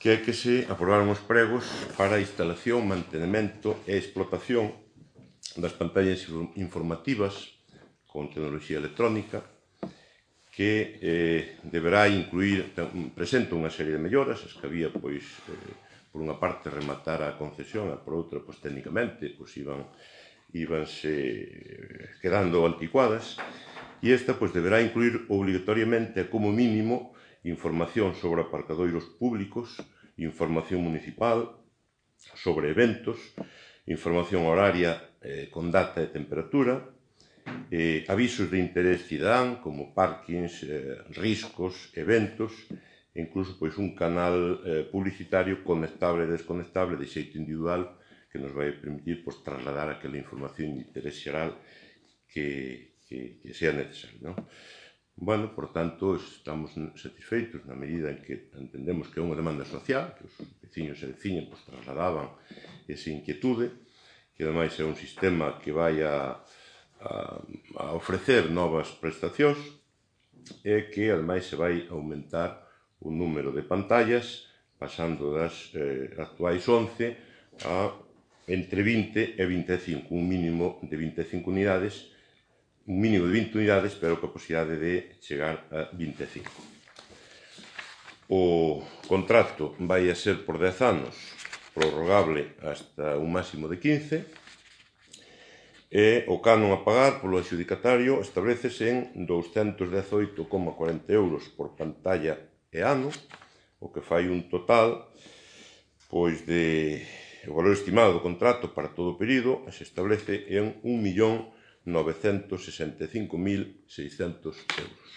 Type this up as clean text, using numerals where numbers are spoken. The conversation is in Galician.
que é que se aprobaron os pregos para a instalación, mantenimento e explotación das pantallas informativas con tecnoloxía electrónica, que deberá incluir, presenta unha serie de melloras, as que había, pois, por unha parte, rematar a concesión, e por outra, pois, técnicamente, pois, íbanse quedando anticuadas, e esta, pois, deberá incluir obrigatoriamente, como mínimo, información sobre aparcadoiros públicos, información municipal, sobre eventos, información horaria con data e temperatura, avisos de interés cidadán, como parkings, riscos, eventos, e incluso pois, un canal publicitario conectable e desconectable de xeito individual que nos vai permitir pois, trasladar aquela información de interés xeral que sea necesario, non? Bueno, por tanto, estamos satisfeitos na medida en que entendemos que é unha demanda social, que os veciños e veciñas pois, trasladaban esa inquietude, que ademais é un sistema que vai a ofrecer novas prestacións e que, ademais, se vai aumentar o número de pantallas pasando das actuais 11 a entre 20 e 25, un mínimo de 25 unidades, un mínimo de 20 unidades, pero coa posibilidade de chegar a 25. O contrato vai a ser por 10 anos, prorrogable hasta un máximo de 15, e o canon a pagar polo adxudicatario establecese en 218,40 euros por pantalla e ano, o que fai un total pois de o valor estimado do contrato para todo o período se establece en 1.965.600 euros.